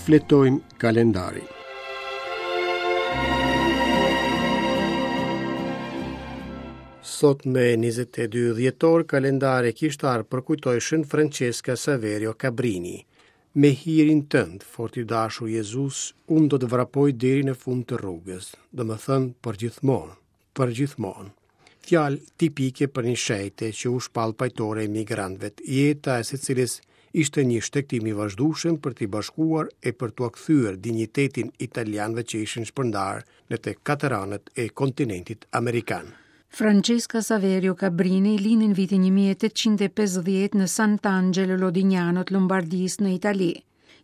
Shfletojmë kalendarin. Sot me 22 dhjetor, kalendari kishtar përkujton Shën Francesca Saverio Cabrini. Me hirin tënd, fort i dashur Jezus, unë do të vrapoj deri në fund të rrugës, domethënë përgjithmonë. Përgjithmonë. Fjalë tipike për një shenjte që u shpall pajtore e emigrantëve, jeta e së cilës ishte një shtegtim i vazhdueshëm për t'i bashkuar e për t'ua kthyer dinjitetin italianëve që ishin shpërndarë në të katër anët e kontinentit amerikan. Francesca Saverio Cabrini lindi në vitin 1850 në Sant'Angelo Lodignano të Lombardisë në Itali.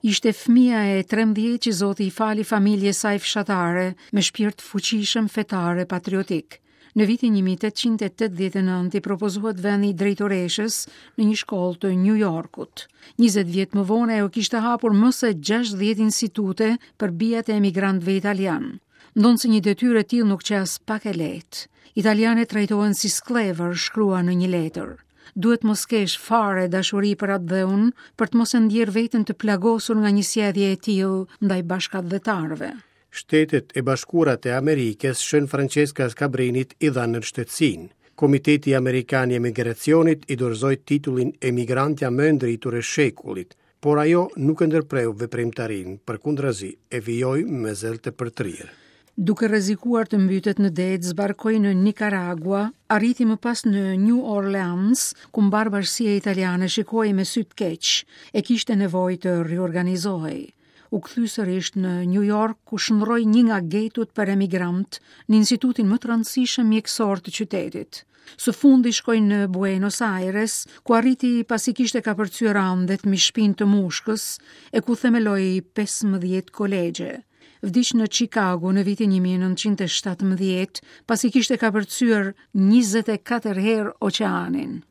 Ishte fëmija e 13 që Zoti i fali familjes saj fshatare me shpirt të fuqishëm fetar e patriotik. Në vitin 1889 i propozohet vendi i drejtoreshës në një shkollë të New Yorkut. 20 vjet më vonë ajo kishte hapur më se 60 institute për bijat e emigrantëve italianë. Ndonëse një detyrë e tillë nuk qe aspak e lehtë. Italianët trajtohen si skllevër, shkruan në një letër. Duhet mos kesh fare dashuri për atdheun, për të mos e ndjerë veten të plagosur nga një sjellje e tillë ndaj bashkatdhetarëve. Shtetet e Bashkuara të Amerikës, Shën Francesca Cabrinit i dhanë nënshtetësinë. Komiteti Amerikan i Emigracionit i dorëzoi titullin Emigrantja më e ndritur e shekullit, Por ajo nuk e ndërpreu veprimtarinë, përkundrazi, e vijoi me zell të përtërirë. Duke rrezikuar të mbytet në det, zbarkoi në Nikaragua, arriti më pas në New Orleans, ku mbarë bashkësia italiane shikohej me sy të keq e kishte nevojë të riorganizohej. U kthy sërish në New York, ku shndërroi një nga getot për emigrantë në institutin më të rëndësishëm mjekësor të qytetit. Së fundi shkoi në Buenos Aires, ku arriti pasi kishte kapërcyer Andet mbi shpinë të mushkës e ku themeloi 15 kolegje. Vdiq në Chicago në vitin 1917, pasi kishte kapërcyer 24 herë oqeanin.